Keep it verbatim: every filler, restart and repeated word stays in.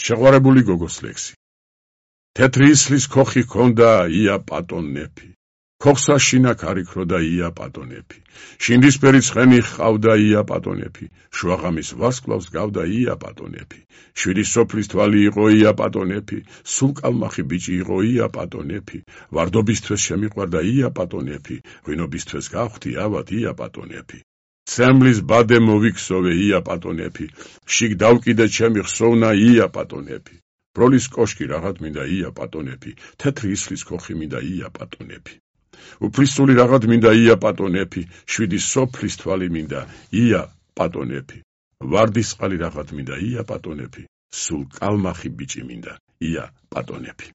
შეყვარებული გოგოს ლექსი. თეთრი ისლის ქოხი ჰქონდა ია პატონეფი. ქოხსა შინაქ არ იქროდა ია პატონეფი. შინდისფერი ცხენი ჰყავდა ია პატონეფი. შუაღამის ვარსკვლავს გავდა ია პატონეფი. შვიდი სოფლის თვალი იყო ია პატონეფი. სულ კალმახი ბიჭი იყო ია პატონეფი. ვარდობისთვის შემიყვარდა ია პატონეფი. ღვინობისთვის გავხდი ავად ია პატონეფი. ცემლის ბადე მოვიქსოვე ია პატონეფი. შიგ დავკიდე ჩემი ხსოვნა ია პატონეფი. ბროლის კოშკი რაღაც მინდა ია პატონეფი. თეთრი ისლის ქოხი მინდა ია პატონეფი. უფლისწული რაღაც მინდა ია პატონეფი. შვიდი სოფლის თვალი მინდა ია პატონეფი. ვარდისყალი რაღაც მინდა ია პატონეფი. სულ კალმახი ბიჭი მინდა ია პატონეფი.